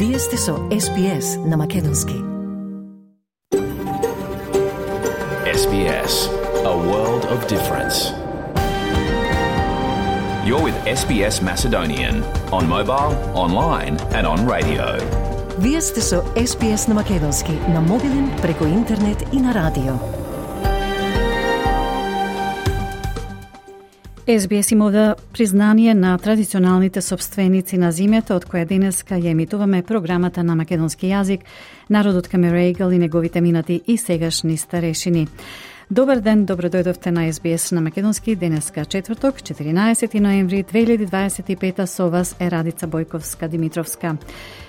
Вие сте со SBS на Македонски. SBS, a world of difference. You're with SBS Macedonian on mobile, online and on radio. Вие сте со SBS на Македонски на мобилен, преку интернет и на радио. SBS им ода признание на традиционалните собственици на земјата, од која денеска ја емитуваме програмата на македонски јазик, народот Камерегал и неговите минати и сегашни старешини. Добар ден, добро дојдовте на SBS на македонски, денеска четврток, 14 ноември 2025, со вас е Радица Бојковска-Димитровска.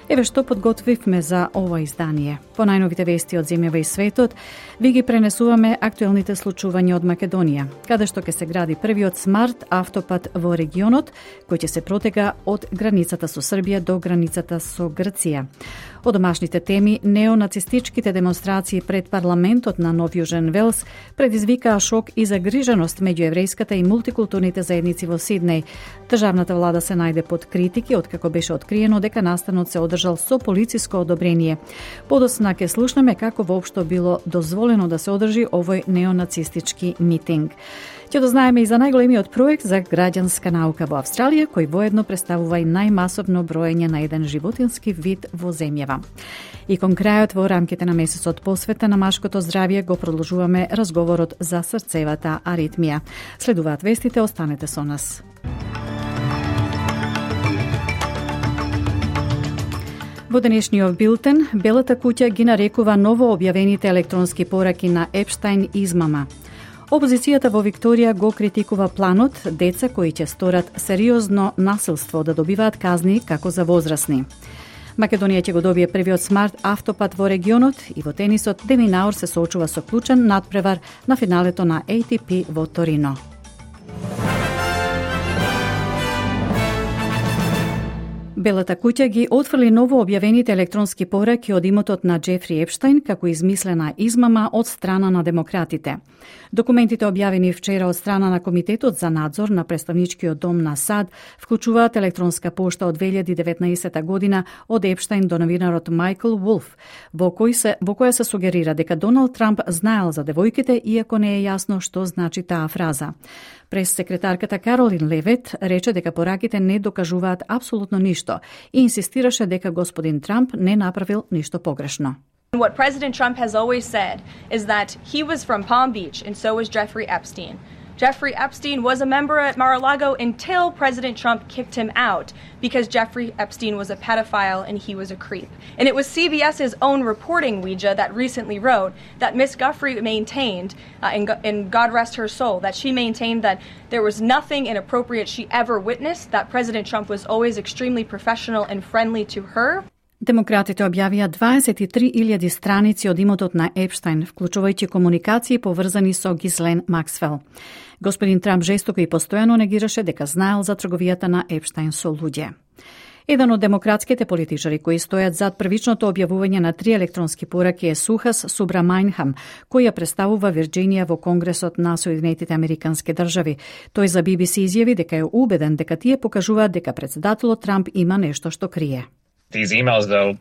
Еве што подготвивме за ова издание. По најновите вести од земјава и светот, ви ги пренесуваме актуелните случувања од Македонија, каде што ќе се гради првиот смарт автопат во регионот, кој ќе се протега од границата со Србија до границата со Грција. Од домашните теми, неонацистичките демонстрации пред парламентот на Нов Јужен Велс предизвикаа шок и загриженост меѓу еврејската и мултикултурните заедници во Сиднеј. Државната влада се најде под критики откако беше откриено дека настанот се одржал со полициско одобрение. Подосна ќе слушнеме како воопшто било дозволено да се одржи овој неонацистички митинг. Ќе дознаеме и за најголемиот проект за граѓанска наука во Австралија, кој воедно представува и најмасовно броење на еден животински вид во земјава. И кон крајот во рамките на месецот посвета на машкото здравје го продолжуваме разговорот за срцевата аритмија. Следуваат вестите, останете со нас. Во денешниот билтен, Белата куќа ги нарекува ново објавените електронски пораки на Епштајн измама. Опозицијата во Викторија го критикува планот деца кои ќе сторат сериозно насилство да добиваат казни како за возрастни. Македонија ќе го добие првиот смарт автопат во регионот и во тенисот де Minaur се соочува со клучен надпревар на финалето на ATP во Торино. Белата куќа ги отфрли ново објавените електронски пораки од имотот на Џефри Епштајн како измислена измама од страна на демократите. Документите објавени вчера од страна на Комитетот за надзор на Представничкиот дом на САД вклучуваат електронска пошта од 2019 година од Епштајн до новинарот Майкл Вулф, во која се сугерира дека Доналд Трамп знаел за девојките, иако не е јасно што значи таа фраза. Прес-секретарката Каролин Левет рече дека пораките не докажуваат апсолутно ништо и инсистираше дека господин Трамп не направил ништо погрешно. What President Trump has always said is that he was from Palm Beach and so was Jeffrey Epstein. Jeffrey Epstein was a member at Mar-a-Lago until President Trump kicked him out because Jeffrey Epstein was a pedophile and he was a creep. And it was CBS's own reporting, Ouija, that recently wrote that Miss Guffrey maintained, and God rest her soul, that she maintained that there was nothing inappropriate she ever witnessed, that President Trump was always extremely professional and friendly to her. Демократите објавија 23.000 страници од имотот на Епштајн, вклучувајќи комуникации поврзани со Гислен Максвел. Господин Трамп жестоко и постојано негираше дека знаел за трговијата на Епштајн со луѓе. Еден од демократските политичари кои стојат зад првичното објавување на 3 електронски пораки е Сухас Субрамањхам, кој ја представува Вирџинија во Конгресот на Соединетите Американски држави. Тој за BBC изјави дека е убеден дека тие покажуваат дека претседателот Трамп има нешто што крие. These emails, though,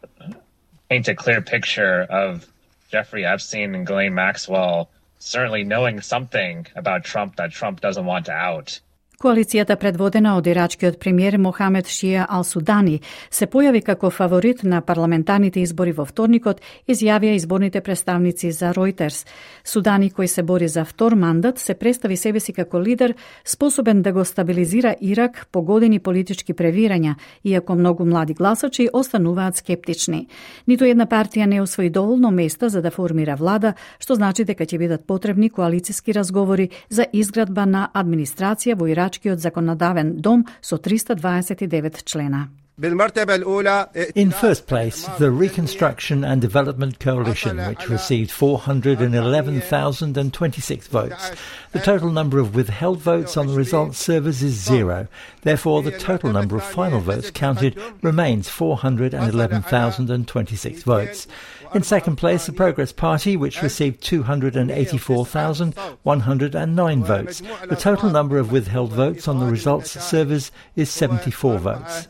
paint a clear picture of Jeffrey Epstein and Ghislaine Maxwell certainly knowing something about Trump that Trump doesn't want to out. Коалицијата предводена од ирачкиот премиер Мохамед Шија Ал-Судани се појави како фаворит на парламентарните избори во вторникот, изјавија изборните представници за Reuters. Судани, кој се бори за втор мандат, се представи себе си како лидер способен да го стабилизира Ирак по години политички превирања, иако многу млади гласачи остануваат скептични. Ниту една партија не освои доволно места за да формира влада, што значи дека ќе бидат потребни коалициски разговори за изградба на администрација во Ирачкиот законодавен дом со 329 члена. In first place, the Reconstruction and Development Coalition, which received 411,026 votes. The total number of withheld votes on the results servers is 0. Therefore, the total number of final votes counted remains 411,026 votes. In second place, the Progress Party, which received 284,109 votes. The total number of withheld votes on the results servers is 74 votes.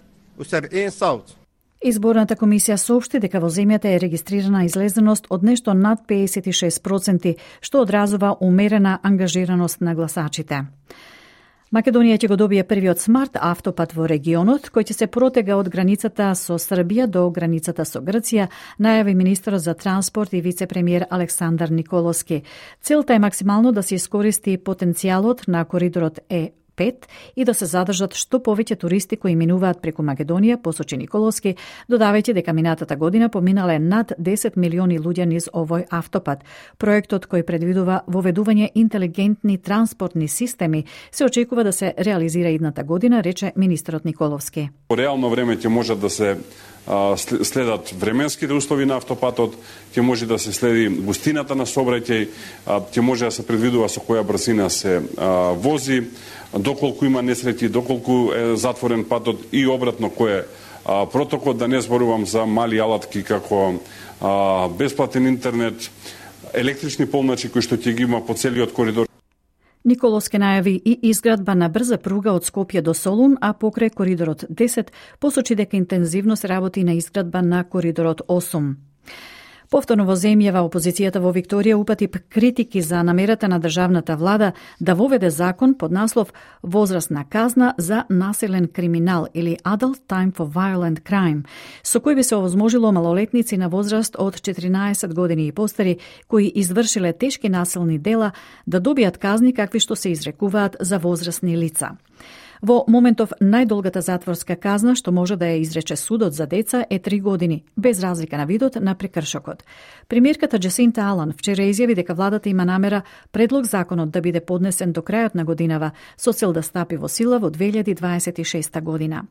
Изборната комисија соопшти дека во земјата е регистрирана излезеност од нешто над 56%, што одразува умерена ангажираност на гласачите. Македонија ќе го добие првиот смарт автопат во регионот, кој ќе се протега од границата со Србија до границата со Грција, најави министерот за транспорт и вице-премиер Александар Николовски. Целта е максимално да се искористи потенцијалот на коридорот Е5 и да се задржат што повеќе туристи кои минуваат преку Македонија, посочи Николовски, додавајќи дека минатата година поминале над 10 милиони луѓе низ овој автопат. Проектот кој предвидува воведување интелигентни транспортни системи се очекува да се реализира идната година, рече министерот Николовски. По реално време ќе можат да се следат временските услови на автопатот, ќе може да се следи густината на сообраќај, ќе може да се предвидува со која брзина се вози, доколку има несреќи, доколку е затворен патот и обратно кој е протокол, да не зборувам за мали алатки како бесплатен интернет, електрични полначи кои што ќе ги има по целиот коридор. Николовски најави и изградба на брза пруга од Скопје до Солун, а покрај коридорот 10 посочи дека интензивно се работи на изградба на коридорот 8. Повторно во земјава опозицијата во Викторија упати критики за намерата на државната влада да воведе закон под наслов возрастна казна за насилен криминал или Adult Time for Violent Crime, со кој би се овозможило малолетници на возраст од 14 години и постари кои извршиле тешки насилни дела да добијат казни какви што се изрекуваат за возрастни лица. Во моментов најдолгата затворска казна што може да ја изрече судот за деца е 3 години, без разлика на видот на прекршокот. Премиерката Джесинта Алан вчера изјави дека владата има намера предлог законот да биде поднесен до крајот на годинава со цел да стапи во сила во 2026 година.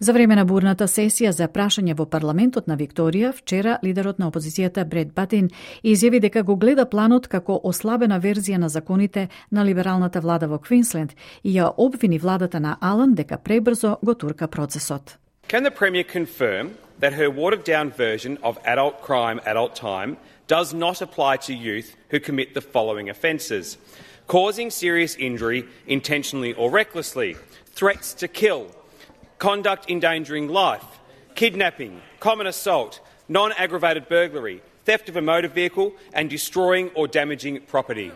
За време на бурната сесија за прашање во парламентот на Викторија, вчера лидерот на опозицијата Бред Батин изјави дека го гледа планот како ослабена верзија на законите на либералната влада во Квинсленд и ја обвини владата на Алан дека пребрзо го турка процесот. Can the Premier confirm that her watered-down version of adult crime, adult time does not apply to youth who commit the following offences: causing serious injury intentionally or recklessly, threats to kill, conduct endangering life, kidnapping, common assault, non-aggravated burglary, theft of a motor vehicle and destroying or damaging property.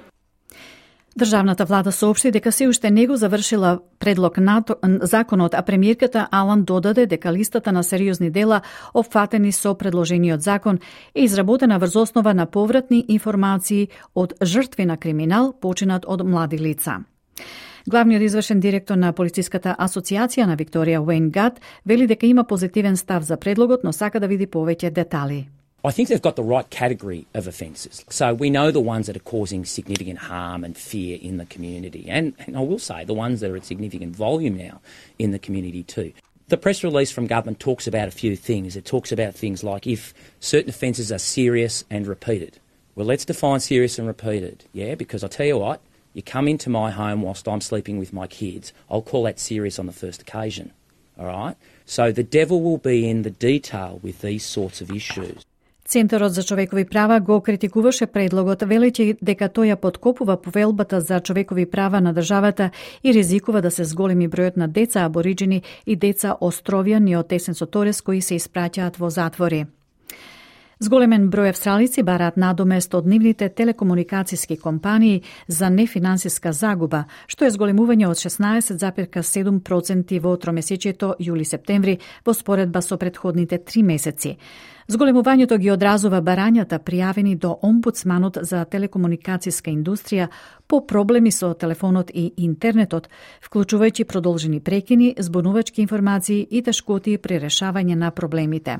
Државната влада соопшти дека се уште не го завршила предлог на законот, а премиерката Алан додаде дека листата на сериозни дела опфатени со предложениот закон е изработена врз основа на повратни информации од жртви на криминал починат од млади лица. Главниот извршен директор на Полициската асоциација на Викторија Уейн Гат вели дека има позитивен став за предлогот, но сака да види повеќе детали. I think they've got the right category of offences. So we know the ones that are causing significant harm and fear in the community. And I will say the ones that are at significant volume now in the community too. The press release from government talks about a few things. It talks about things like if certain offences are serious and repeated. Well, let's define serious and repeated, yeah? Because I tell you what, you come into my home whilst I'm sleeping with my kids, I'll call that serious on the first occasion, all right? So the devil will be in the detail with these sorts of issues. Центарот за човекови права го критикуваше предлогот, велејќи дека тој ја подкопува повелбата за човекови права на државата и ризикува да се зголеми бројот на деца абориджини и деца островјани од тесен со Торес кои се испраќаат во затвори. Зголемен број австралици бараат надомест од нивните телекомуникацијски компании за нефинансиска загуба, што е зголемување од 16,7% во тромесечието јули-септември во споредба со претходните 3 месеци. Зголемувањето ги одразува барањата пријавени до омбудсманот за телекомуникацијска индустрија по проблеми со телефонот и интернетот, вклучувајќи продолжени прекини, збунувачки информации и тешкоти при решавање на проблемите.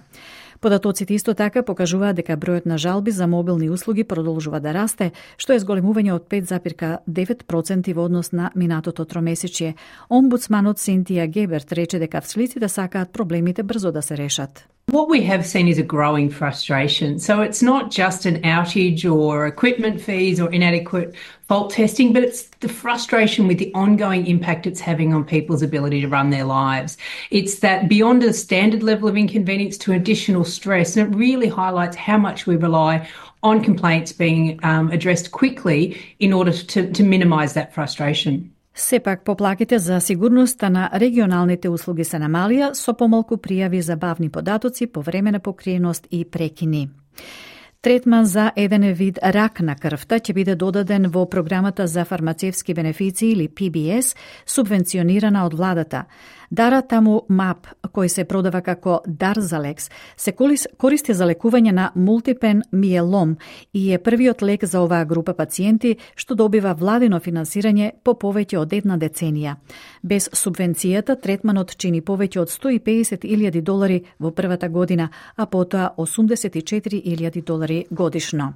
Податоците исто така покажуваат дека бројот на жалби за мобилни услуги продолжува да расте, што е зголемување од 5,9% во однос на минатото тромесечие. Омбудсманот Синтија Геберт рече дека австралиците сакаат проблемите брзо да се решат. What we have seen is a growing frustration. So it's not just an outage or equipment fees or inadequate fault testing, but it's the frustration with the ongoing impact it's having on people's ability to run their lives. It's that beyond a standard level of inconvenience to additional stress, and it really highlights how much we rely on complaints being addressed quickly in order to minimise that frustration. Сепак, поплаките за сигурноста на регионалните услуги се намалија со помалку пријави за бавни податоци, повремена покриеност и прекини. Третман за еден вид рак на крвта ќе биде додаден во програмата за фармацевски бенефиции или PBS, субвенционирана од владата. Даратамумаб, кој се продава како Дарзалекс, се користи за лекување на мултипен миелом и е првиот лек за оваа група пациенти што добива владино финансирање по повеќе од една деценија. Без субвенцијата, третманот чини повеќе од $150,000 во првата година, а потоа $84,000 годишно.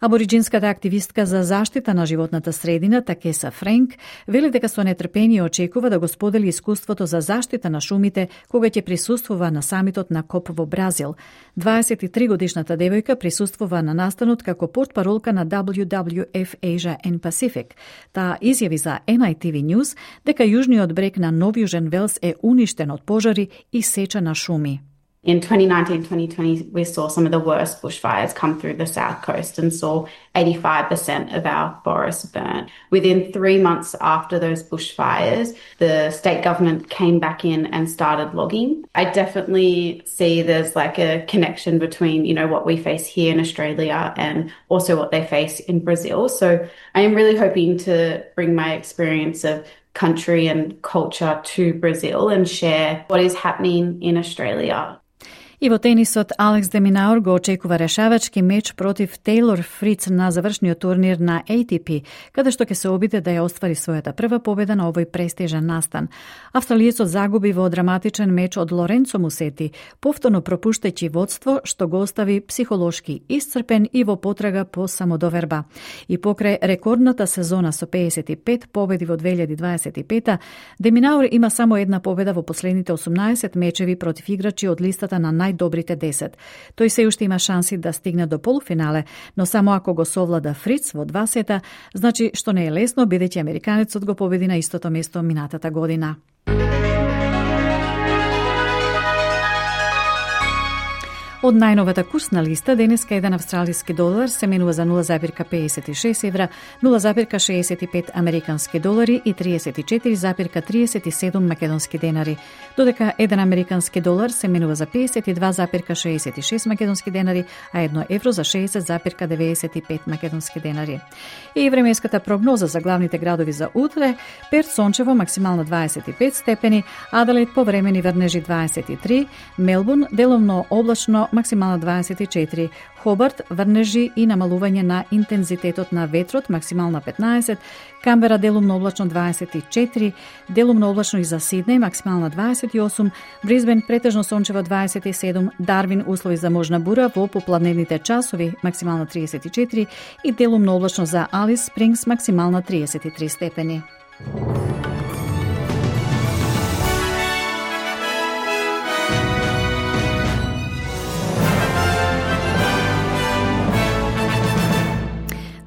Абориджинската активистка за заштита на животната средина, Такеса Френк, вели дека со нетрпение очекува да го сподели искуството за заштита на шумите кога ќе присуствува на самитот на КОП во Бразил. 23-годишната девојка присуствува на настанот како портпаролка на WWF Asia and Pacific. Таа изјави за NITV News дека јужниот брег на Нов Јужен Велс е уништен од пожари и сеча на шуми. In 2019-2020, we saw some of the worst bushfires come through the south coast and saw 85% of our forests burnt. Within 3 months after those bushfires, the state government came back in and started logging. I definitely see there's like a connection between, you know, what we face here in Australia and also what they face in Brazil. So I am really hoping to bring my experience of country and culture to Brazil and share what is happening in Australia. И во тенисот, Алекс де Минаур го очекува решавачки меч против Тейлор Фриц на завршниот турнир на ATP, каде што ќе се обиде да ја оствари својата прва победа на овој престижен настан. Австралиецот загуби во драматичен меч од Лоренцо Мусети, повторно пропуштајќи водство што го остави психолошки исцрпен и во потрага по самодоверба. И покрај рекордната сезона со 55 победи во 2025, де Минаур има само една победа во последните 18 мечеви против играчи од листата на најдобрите 10. Тој се уште има шанси да стигне до полуфинале, но само ако го совлада Фриц во 2 сета, значи што не е лесно, бидејќи американецот го победи на истото место минатата година. Од најновата курсна листа, денеска еден австралиски долар се менува за 0,56 евра, 0,65 американски долари и 34,37 македонски денари, додека еден американски долар се менува за 52,66 македонски денари, а 1 евро за 60,95 македонски денари. И временската прогноза за главните градови за утре: Перт сончево, максимално 25 степени, Аделаид повремени врнежи 23, Мелбурн делумно облачно, максимално 24, Хобарт врнежи и намалување на интензитетот на ветрот, максимално 15, Камбера делумно облачно 24, делумно облачно и за Сиднеј, максимално 28, Брисбен претежно сончево 27, Дарвин услови за можна бура во попладневните часови, максимално 34 и делумно облачно за Алис Спрингс, максимално 33 степени.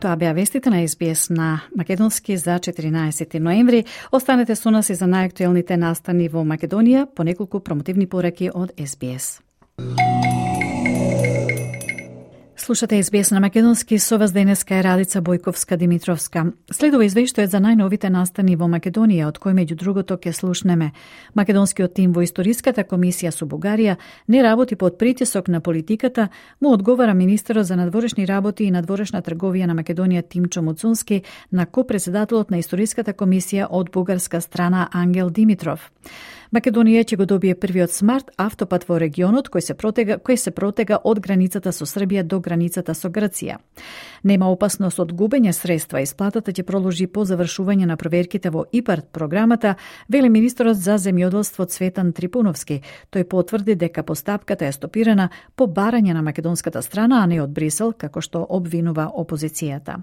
Тоа беа вестите на SBS на македонски за 14 ноември. Останете со нас и за најактуелните настани во Македонија, по неколку промотивни пораки од SBS. Слушате SBS на македонски, со вас денеска е Радица Бојковска-Димитровска. Следува извештајот за најновите настани во Македонија, од кој меѓу другото ќе слушнеме. Македонскиот тим во Историската комисија со Бугарија не работи под притисок на политиката, му одговара министерот за надворешни работи и надворешна трговија на Македонија Тимчо Муцунски на ко-председателот на Историската комисија од бугарска страна Ангел Димитров. Македонија ќе го добие првиот смарт автопат во регионот кој се протега од границата со Србија до границата со Грција. Нема опасност од губење средства, исплатата ќе продолжи по завршување на проверките во ИПАРД програмата, вели министерот за земјоделство Цветан Трипуновски. Тој потврди дека постапката е стопирана по барање на македонската страна, а не од Брисел, како што обвинува опозицијата.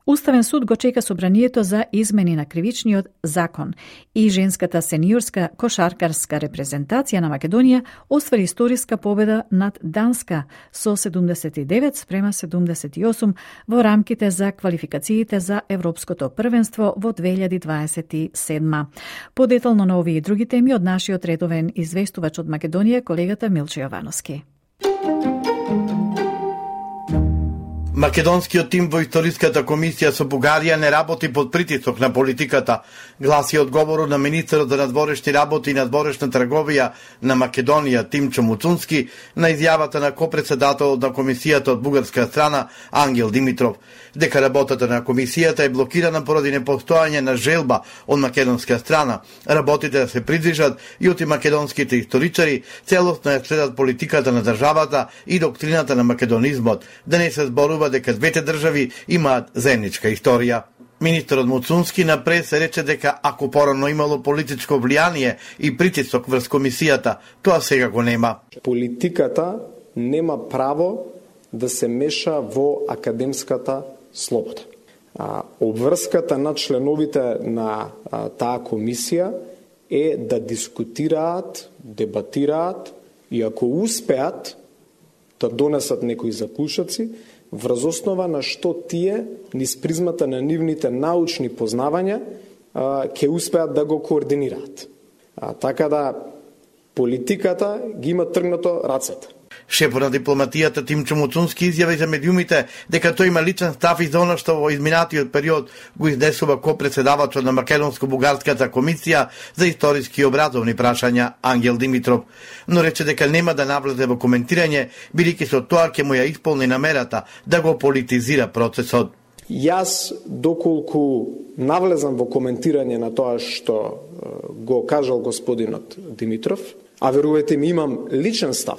Уставен суд го чека собранието за измени на кривичниот закон и женската сениорска кошаркарска репрезентација на Македонија оствари историска победа над Данска со 79-78 во рамките за квалификациите за Европското првенство во 2027. Подетално на овие и други теми од нашиот редовен известувач од Македонија, колегата Милче Јовановски. Македонскиот тим во историската комисија со Бугарија не работи под притисок на политиката, гласи одговорот на министерот за надворешни работи и надворешна трговија на Македонија Тимчо Муцунски на изјавата на копредседателот на комисијата од бугарска страна Ангел Димитров, дека работата на комисијата е блокирана поради непостојање на желба од македонска страна, работите да се придвижат и од македонските историчари целосно ја следат политиката на државата и доктрината на македонизмот, да не се зборува дека двете држави имаат заедничка историја. Министерот Муцунски на прес рече дека ако порано имало политичко влијание и притисок врз комисијата, тоа сега го нема. Политиката нема право да се меша во академската слобода. Обврската на членовите на таа комисија е да дискутираат, дебатираат и ако успеат да донесат некои заклучоци, врз основа на што тие, низ призмата на нивните научни познавања, ќе успеат да го координираат. Така да политиката ги има тргнато рацете. Шефот на дипломатијата Тимчо Муцунски изјави за медиумите дека тој има личен став и за она што во изминатиот период го изнесува ко-председавачот на Македонско-бугарската комисија за историски и образовни прашања Ангел Димитров, но рече дека нема да навлезе во коментирање, бидејќи со тоа ќе му ја исполни намерата да го политизира процесот. Јас, доколку навлезам во коментирање на тоа што го кажал господинот Димитров, а верувате ми имам личен став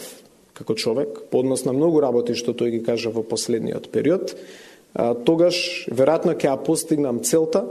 како човек, по однос на многу работи што тој ги кажа во последниот период, тогаш веројатно ќе ја постигнам целта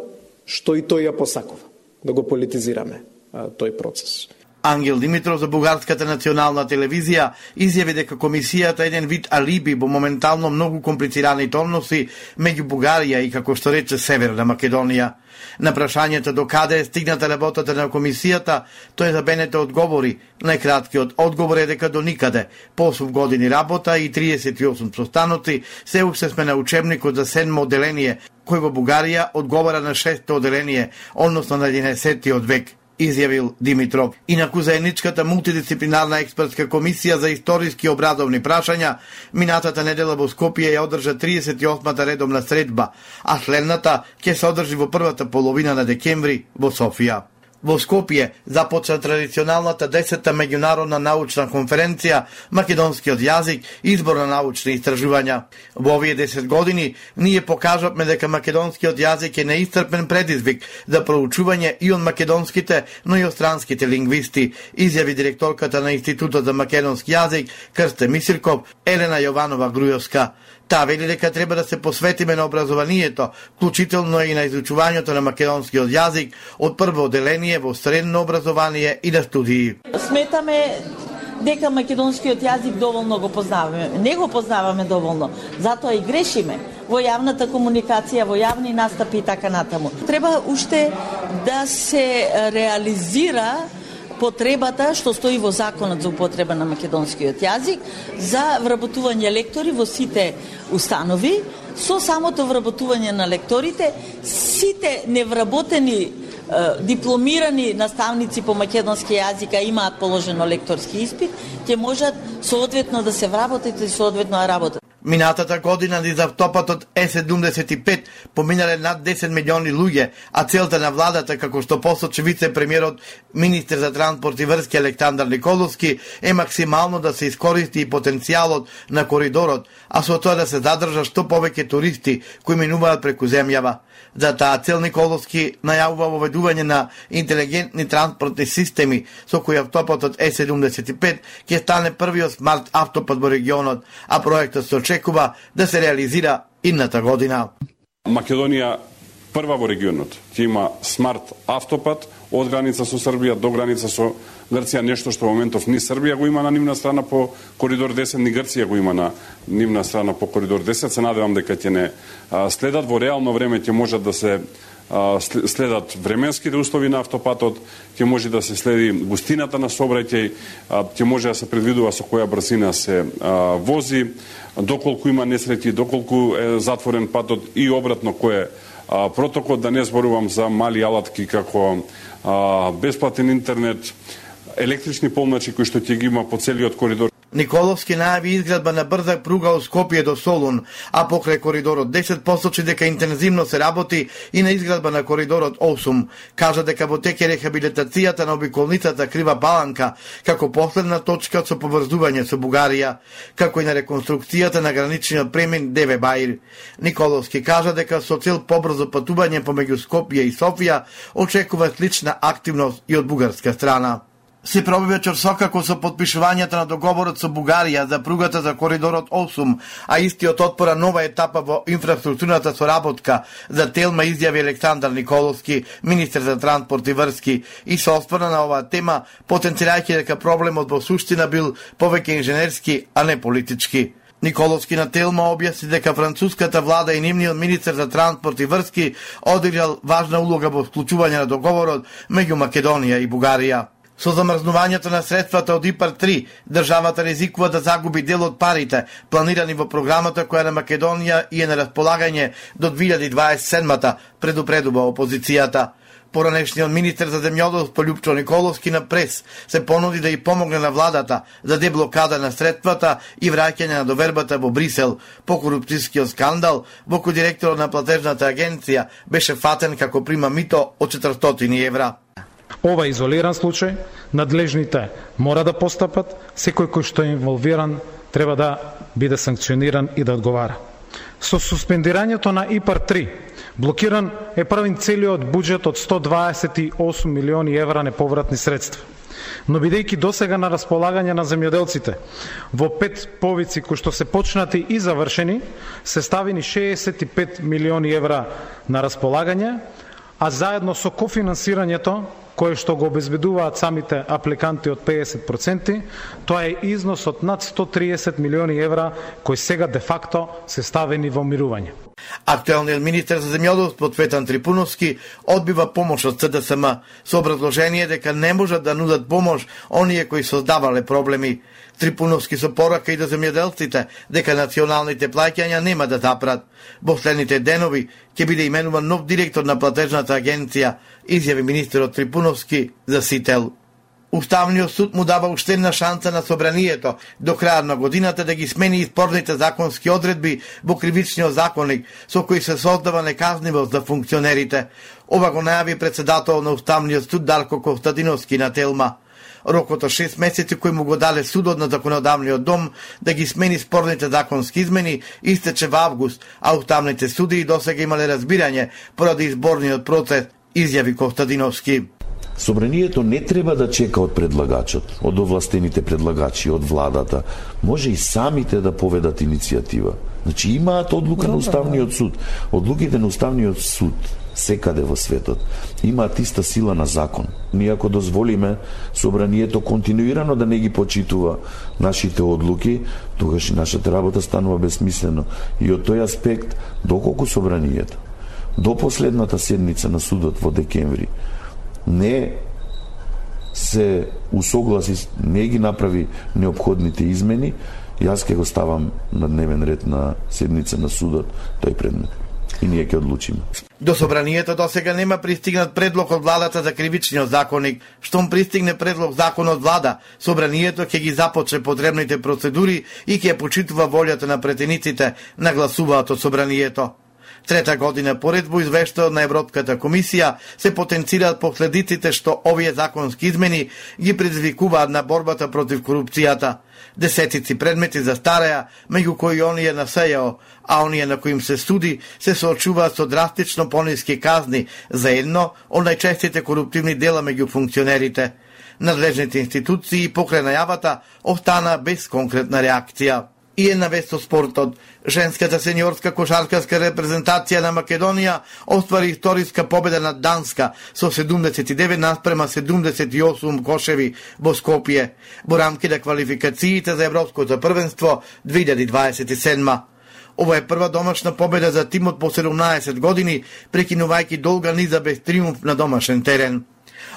што и тој ја посакува, да го политизираме тој процес. Ангел Димитров за бугарската национална телевизија изјави дека комисијата е еден вид алиби во моментално многу комплицираните односи меѓу Бугарија и, како што рече, Северна Македонија. На прашањето до каде е стигната работата на комисијата, тој забенете одговори. Најкраткиот одговор е дека до никаде. По 8 години работа и 38 состаноци, се уште сме на учебникот за 7 оделение, кој во Бугарија одговара на 6 оделение, односно на 11 век, изјавил Димитров. Инаку заедничката мултидисциплинарна експертска комисија за историски и образовни прашања минатата недела во Скопје ја одржа 38-та редовна средба, а следната ќе се одржи во првата половина на декември во Софија. Во Скопје започна традиционалната 10-та меѓународна научна конференција Македонскиот јазик и избор на научни истражувања. Во овие 10 години ние покажавме дека македонскиот јазик е неисцрпен предизвик за проучување и од македонските, но и од странските лингвисти, изјави директорката на Институтот за македонски јазик Крсте Мисирков, Елена Јованова Грујовска. Таа вели дека треба да се посветиме на образованието, вклучително и на изучувањето на македонскиот јазик од прво оделение во средно образование и на студии. Сметаме дека македонскиот јазик доволно го познаваме. Не го познаваме доволно, затоа и грешиме во јавната комуникација, во јавни настапи и така натаму. Треба уште да се реализира потребата што стои во законот за употреба на македонскиот јазик за вработување лектори во сите установи. Со самото вработување на лекторите, сите невработени дипломирани наставници по македонски јазик имаат положено лекторски испит, ќе можат соодветно да се вработат и соодветно да работат. Минатата година низ автопатот Е75 поминале над 10 милиони луѓе, а целта на владата, како што посочи вице-премиерот, министер за транспорт и врски Александар Николовски, е максимално да се искористи и потенцијалот на коридорот, а со тоа да се задржа што повеќе туристи кои минуваат преку земјава. За таа цел Николовски најавува воведување на интелигентни транспортни системи со кои автопатот Е75 ќе стане првиот смарт автопат во регионот, а проектот се очекува да се реализира идната година. Македонија прва во регионот ќе има смарт автопат од граница со Србија до граница со Грција, нешто што во моментов ни Србија го има на нивна страна по коридор 10, ни Грција го има на нивна страна по коридор 10. Се надевам дека ќе не следат во реално време, ќе можат да се следат временските услови на автопатот, ќе може да се следи густината на сообраќај, ќе може да се предвидува со која брзина се вози, доколку има несреќи, доколку е затворен патот и обратно кој е протокол, да не зборувам за мали алатки како бесплатен интернет, електрични полначи кои што ќе ги има по целиот коридор. Николовски најави изградба на брза пруга од Скопје до Солун, а покрај коридорот 10 посочи дека интензивно се работи и на изградба на коридорот 8. Кажа дека во тек е рехабилитацијата на обиколницата Крива Баланка, како последна точка со поврзување со Бугарија, како и на реконструкцијата на граничниот премин Деве Баир. Николовски кажа дека со цел побрзо патување помеѓу Скопје и Софија очекува слична активност и од бугарска страна. Се проби вечер сокако со подпишувањето на договорот со Бугарија за пругата за коридорот 8, а истиот отпора нова етапа во инфраструктурната соработка за Телма, изјави Александар Николовски, министер за транспорт и врски, и се осврна на оваа тема, потенцирајќи дека проблемот во суштина бил повеќе инженерски, а не политички. Николовски на Телма објасни дека француската влада и нивниот министер за транспорт и врски одиграл важна улога во вклучување на договорот меѓу Македонија и Бугарија. Со замрзнувањето на средствата од ИПАР-3, државата ризикува да загуби дел од парите планирани во програмата која на Македонија и е на располагање до 2027-та, предупредува опозицијата. Поранешниот министер за земјоделство Љупчо Николовски на прес се понуди да и помогне на владата за деблокада на средствата и враќање на довербата во Брисел по корупцијскиот скандал во кој директорот на платежната агенција беше фатен како прима мито од 400 евра. Ова изолиран случај, надлежните мора да постапат, секој кој што е инволвиран треба да биде санкциониран и да одговара. Со суспендирањето на ИПАР-3, блокиран е правен целиот буџет од 128 милиони евра неповратни средства. Но бидејќи досега на располагање на земјоделците во 5 повици кои што се почнати и завршени, се ставени 65 милиони евра на располагање, а заедно со кофинансирањето кое што го обезбедуваат самите апликанти од 50%, тоа е износ од над 130 милиони евра кои сега де факто се ставени во мирување. Актуелниот министер за земјоделство Цветан Трипуновски одбива помош од СДСМ со образложение дека не можат да нудат помош оние кои создавале проблеми. Трипуновски со порака и до земјоделците дека националните плаќања нема да запрат. Во следните денови ќе биде именуван нов директор на платежната агенција, изјави министерот Трипуновски за Сител. Уставниот суд му дава уште една шанса на собранието до крајот на годината да ги смени спорните законски одредби во кривичниот законник со кои се создава неказнивост за функционерите. Ова го најави председател на Уставниот суд Дарко Костадиновски на Телма. Рокот од 6 месеци кој му го дале судот на законодавниот дом да ги смени спорните законски измени истече во август, а уставните суди и досега имале разбирање поради изборниот процес, изјави Костадиновски. Собранието не треба да чека од предлагачот, од овластените предлагачи, од владата. Може и самите да поведат иницијатива. Значи имаат одлука на Уставниот суд. Одлуките на Уставниот суд секаде во светот имаат иста сила на закон. Ние ако дозволиме собранието континуирано да не ги почитува нашите одлуки, тогаш и нашата работа станува безсмислено. И од тој аспект, доколку собранието до последната седница на судот во декември не се усогласи, не ги направи неопходните измени, јас ќе го ставам на дневен ред на седница на судот тој предмет. И ние ќе одлучиме. До собранието досега нема пристигнат предлог од владата за кривичниот законник. Штом пристигне предлог закон од влада, собранието ќе ги започне потребните процедури и ќе почитува волјата на претениците на гласуваат од собранието. Трета година поред во извештајот на Европската комисија се потенцираат последиците што овие законски измени ги предизвикуваат на борбата против корупцијата. Десетици предмети застареа, меѓу кои оние на СЈО, а оние на кои им се суди се соочуваат со драстично пониски казни за едно од најчестите коруптивни дела меѓу функционерите. Надлежните институции покрај најавата остана без конкретна реакција. И една вест од спортот. Женската сениорска кошаркарска репрезентација на Македонија оствари историска победа над Данска со 79 наспрема 78 кошеви во Скопје во рамки на квалификациите за Европското првенство 2027. Ова е прва домашна победа за тимот по 17 години, прекинувајќи долга низа без триумф на домашен терен.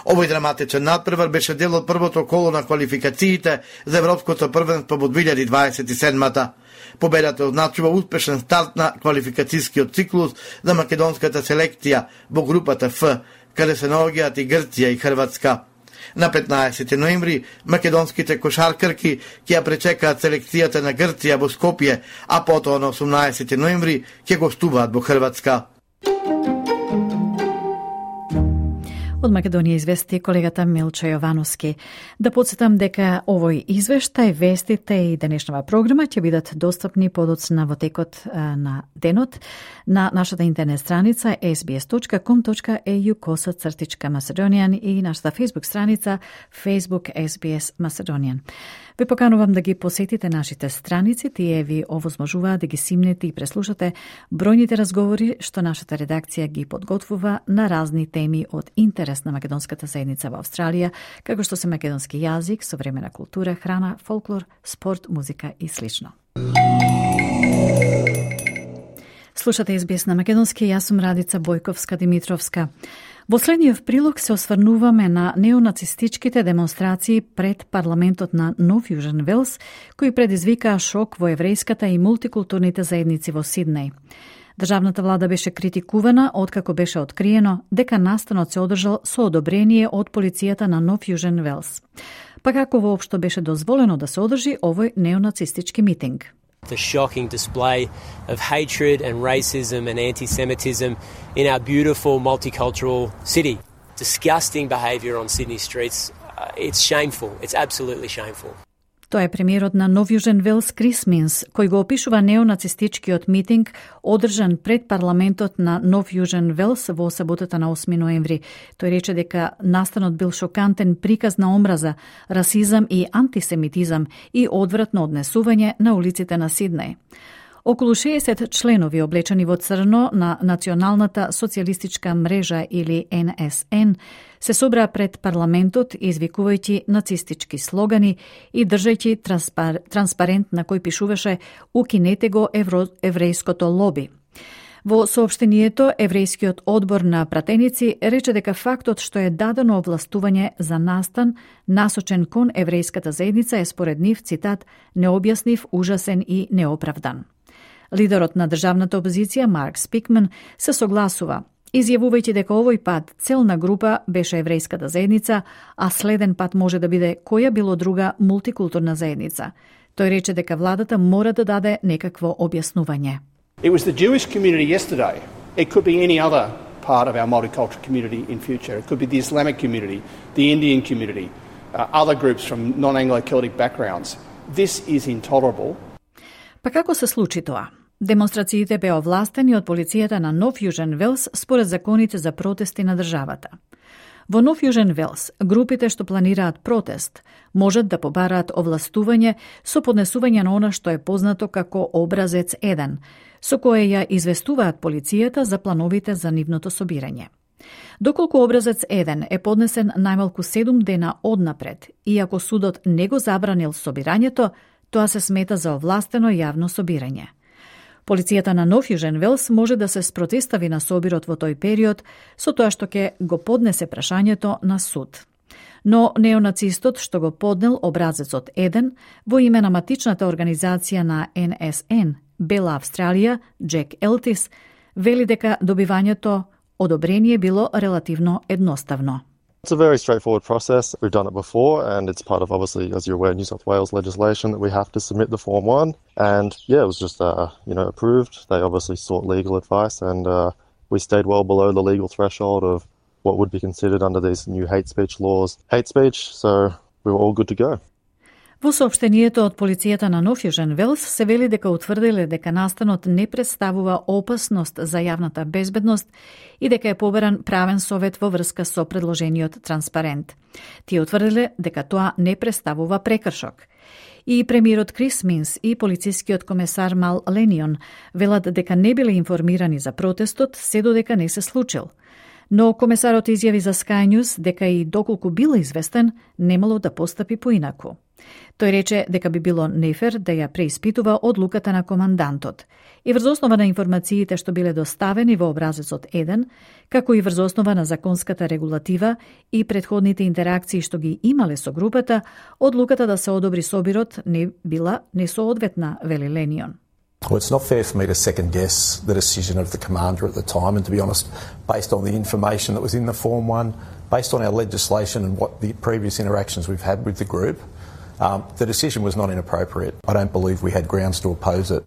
Овој драматичен надпревар беше дел од првото коло на квалификациите за Европското првенство во 2027-та. Победата означува успешен старт на квалификацијскиот циклус за македонската селекција во групата Ф, каде се наоѓаат и Грција и Хрватска. На 15 ноември македонските кошаркарки ќе ја пречекаат селекцијата на Грција во Скопје, а потоа на 18 ноември ќе гостуваат во Хрватска. Од Македонија извести колегата Милчо Јовановски. Да подсетам дека овој извештај, вестите и денешнава програма ќе бидат достапни подоцна во текот на денот на нашата интернет страница sbs.com.au/Macedonian и нашата Facebook страница Facebook SBS Macedonian. Ве поканувам да ги посетите нашите страници, тие ви овозможуваат да ги симнете и преслушате бројните разговори што нашата редакција ги подготвува на разни теми од интерес на македонската заедница во Австралија, како што се македонски јазик, современа култура, храна, фолклор, спорт, музика и слично. Слушате SBS на македонски, јас сум Радица Бојковска-Димитровска. Во следниот прилог се осврнуваме на неонацистичките демонстрации пред парламентот на Нов Јужен Велс, кои предизвикаа шок во еврејската и мултикултурните заедници во Сиднеј. Државната влада беше критикувана откако беше откриено дека настанот се одржал со одобрение од полицијата на Нов Јужен Велс. Па како воопшто беше дозволено да се одржи овој неонацистички митинг? The shocking display of hatred and racism and anti-Semitism in our beautiful multicultural city. Disgusting behaviour on Sydney streets. It's shameful. It's absolutely shameful. Тоа е премиерот на Нов Јужен Велс Крис Минс, кој го опишува неонацистичкиот митинг одржан пред парламентот на Нов Јужен Велс во саботата на 8 ноември. Тој рече дека настанот бил шокантен приказ на омраза, расизам и антисемитизам и одвратно однесување на улиците на Сиднеј. Околу 60 членови облечени во црно на Националната социјалистичка мрежа или НСН се собраа пред парламентот извикувајќи нацистички слогани и држајќи транспарент на кој пишуваше "Укинете го еврејското лоби". Во соопштението, еврејскиот одбор на пратеници рече дека фактот што е дадено овластување за настан насочен кон еврејската заедница е според нив, цитат, необјаснив, ужасен и неоправдан. Лидерот на државната опозиција Марк Спикман се согласува, изјавувајќи дека овој пат целна група беше еврејската заедница, а следен пат може да биде која било друга мултикултурна заедница. Тој рече дека владата мора да даде некакво објаснување. It was the Jewish community yesterday. It could be any other part of our multicultural community in future. It could be the Islamic community, the Indian community, other groups from non-Anglo-Celtic backgrounds. This is intolerable. Па како се случи тоа? Демонстрациите беа овластени од полицијата на Нов Јужен Велс според законите за протести на државата. Во Нов Јужен Велс, групите што планираат протест можат да побараат овластување со поднесување на она што е познато како образец 1, со кое ја известуваат полицијата за плановите за нивното собирање. Доколку образец 1 е поднесен најмалку 7 дена однапред и ако судот не го забранил собирањето, тоа се смета за овластено јавно собирање. Полицијата на Нов Јужен Велс може да се спротистави на собирот во тој период со тоа што ќе го поднесе прашањето на суд. Но неонацистот што го поднел образецот 1 во име на матичната организација на НСН, Бела Австралија, Джек Елтис, вели дека добивањето одобрение било релативно едноставно. It's a very straightforward process. We've done it before, and it's part of, obviously, as you're aware, New South Wales legislation that we have to submit the Form 1. And yeah, it was just, approved. They obviously sought legal advice, and we stayed well below the legal threshold of what would be considered under these new hate speech laws. Hate speech, so we were all good to go. Во соопштението од полицијата на Нов Јужен Велс се вели дека утврдиле дека настанот не представува опасност за јавната безбедност и дека е побаран правен совет во врска со предложениот транспарент. Тие утврдиле дека тоа не представува прекршок. И премиерот Крис Минс и полицискиот комесар Мал Ленион велат дека не биле информирани за протестот се додека не се случил. Но комесарот изјави за Sky News дека и доколку бил известен, немало да постапи поинаку. Тој рече дека би било нефер да ја преиспитува одлуката на командантот и врз основа на информациите што биле доставени во образецот 1, како и врз основа на законската регулатива и претходните интеракции што ги имале со групата, одлуката да се одобри собирот не била несоодветна, вели Ленион. Well, it's not fair for me to second guess the decision of the commander at the time, and to be honest, based on the information that was in the Form 1, based on our legislation and what the previous interactions we've had with the group, the decision was not inappropriate. I don't believe we had grounds to oppose it.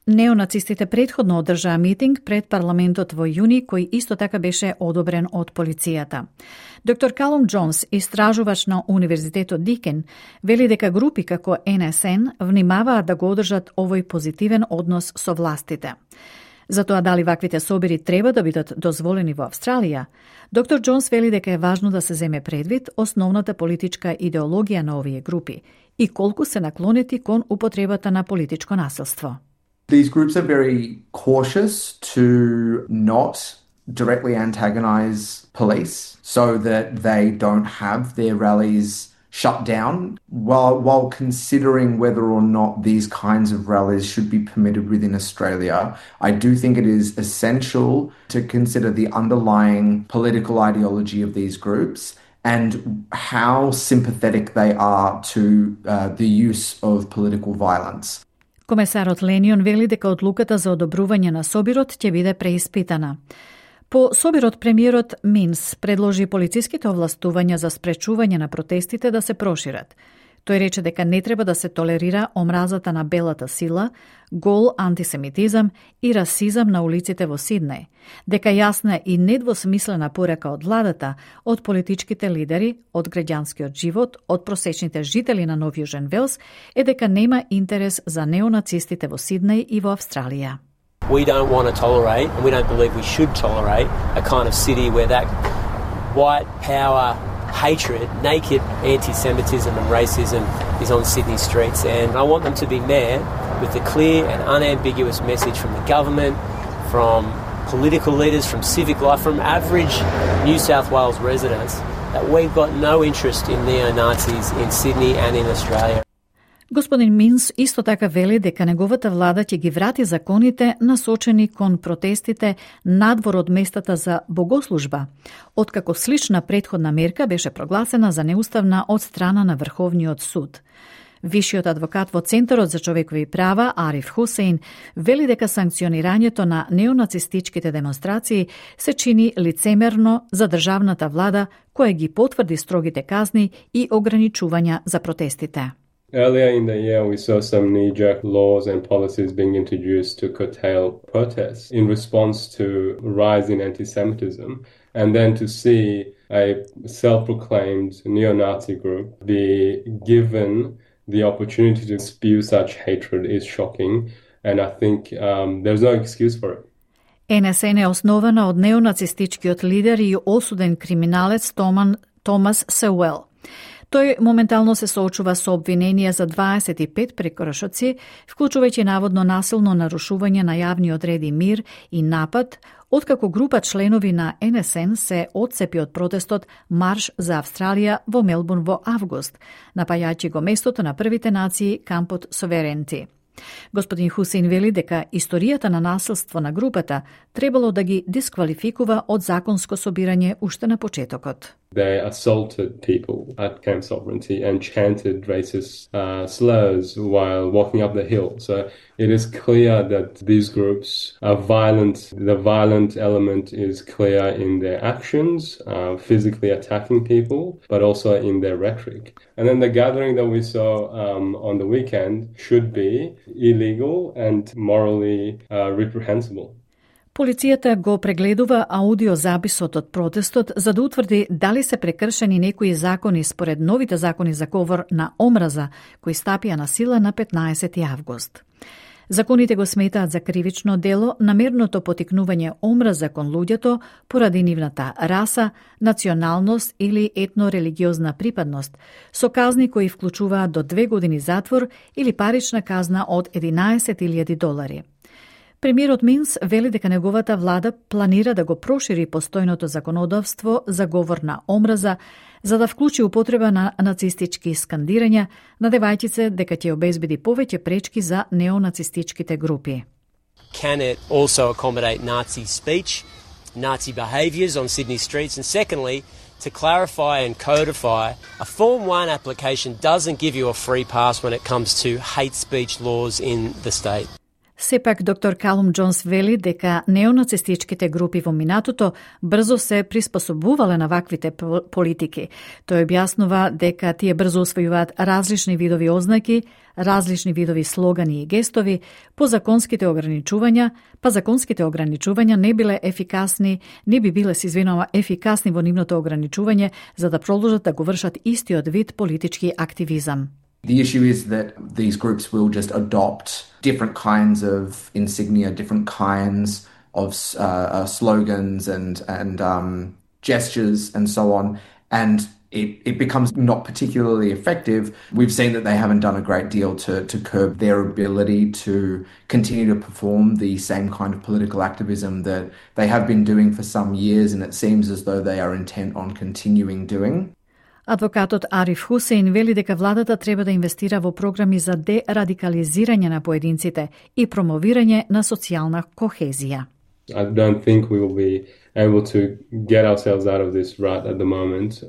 Неонацистите претходно одржаа митинг пред парламентот во јуни, кој исто така беше одобрен од полицијата. Доктор Калум Джонс, истражувач на Универзитетот Дикен, вели дека групи како НСН внимаваат да го одржат овој позитивен однос со властите. За тоа дали ваквите собири треба да бидат дозволени во Австралија, доктор Джонс вели дека е важно да се земе предвид основната политичка идеологија на овие групи и колку се наклонети кон употребата на политичко насилство. These groups are very cautious to not directly antagonize police so that they don't have their rallies shut down while considering whether or not these kinds of rallies should be permitted within Australia. I do think it is essential to consider the underlying political ideology of these groups and how sympathetic they are to the use of political violence. Комесарот Ленион вели дека одлуката за одобрување на собирот ќе биде преиспитана. По собирот премиерот Минс предложи полициските овластувања за спречување на протестите да се прошират. Тој рече дека не треба да се толерира омразата на белата сила, гол антисемитизам и расизам на улиците во Сиднеј, дека јасна и недвосмислена порека од владата, од политичките лидери, од граѓанскиот живот, од просечните жители на Нов Јужен Велс е дека нема интерес за неонацистите во Сиднеј и во Австралија. We don't want to tolerate, and we don't believe we should tolerate, a kind of city where that white power hatred, naked anti-Semitism and racism is on Sydney streets. And I want them to be met with the clear and unambiguous message from the government, from political leaders, from civic life, from average New South Wales residents, that we've got no interest in neo-Nazis in Sydney and in Australia. Господин Минс исто така вели дека неговата влада ќе ги врати законите насочени кон протестите надвор од местата за богослужба, откако слична претходна мерка беше прогласена за неуставна од страна на Врховниот суд. Вишиот адвокат во Центарот за човекови права Ариф Хусейн вели дека санкционирањето на неонацистичките демонстрации се чини лицемерно за државната влада која ги потврди строгите казни и ограничувања за протестите. Earlier in the year, we saw some knee-jerk laws and policies being introduced to curtail protests in response to a rise in anti-Semitism. And then to see a self-proclaimed neo-Nazi group be given the opportunity to spew such hatred is shocking. And I think there's no excuse for it. НСН е основана од неонацистичкиот лидер и осуден криминалец Томас Сеуел. Тој моментално се соочува со обвиненија за 25 прекршоци, вклучувајќи наводно насилно нарушување на јавниот ред и мир и напад, откако група членови на НСН се отцепи од протестот Марш за Австралија во Мелбурн во август, напајајќи го местото на првите нации кампот Соверенти. Господин Хусейн вели дека историјата на насилство на групата требало да ги дисквалификува од законско собирање уште на почетокот. They assaulted people at Camp Sovereignty and chanted racist slurs while walking up the hill. So it is clear that these groups are violent. The violent element is clear in their actions, physically attacking people, but also in their rhetoric. And then the gathering that we saw on the weekend should be illegal and morally reprehensible. Полицијата го прегледува аудиозаписот од протестот за да утврди дали се прекршени некои закони според новите закони за говор на омраза кои стапија на сила на 15 август. Законите го сметаат за кривично дело намерното потикнување омраза кон луѓето поради нивната раса, националност или етно-религиозна припадност, со казни кои вклучуваат до 2 години затвор или парична казна од $11,000. Премиерот Минс вели дека неговата влада планира да го прошири постојното законодавство за говор на омраза, за да вклучи употреба на нацистички скандирања, надевајќи се дека ќе обезбеди повеќе пречки за неонацистичките групи. Can it also accommodate Nazi speech, Nazi behaviours on Sydney streets? And secondly, to clarify and codify, a Form 1 application doesn't give you a free pass when it comes to hate speech laws in the state. Сепак, доктор Калум Джонс вели дека неонацистичките групи во минатото брзо се приспособувале на ваквите политики. Тој објаснува дека тие брзо усвојуваат различни видови ознаки, различни видови слогани и гестови, законските ограничувања не биле ефикасни, не би биле ефикасни во нивното ограничување за да продолжат да го вршат истиот вид политички активизам. The issue is that these groups will just adopt different kinds of insignia, different kinds of slogans and gestures and so on, and it becomes not particularly effective. We've seen that they haven't done a great deal to curb their ability to continue to perform the same kind of political activism that they have been doing for some years, and it seems as though they are intent on continuing doing. Адвокатот Ариф Хусейн вели дека владата треба да инвестира во програми за дерадикализирање на поединците и промовирање на социјална кохезија. I don't think we will be able to get ourselves out of this rut at the moment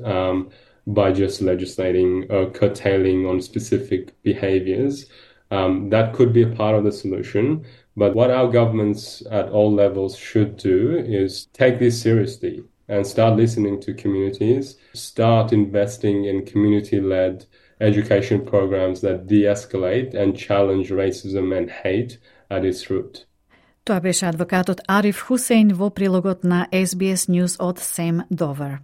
by just legislating or curtailing on specific behaviours. That could be a part of the solution, but what our governments at all levels should do is take this seriously and start listening to communities, start investing in community-led education programs that de-escalate and challenge racism and hate at its root. Тоа беше адвокатот Ариф Хусейн во прилогот на SBS News од Сем Довер.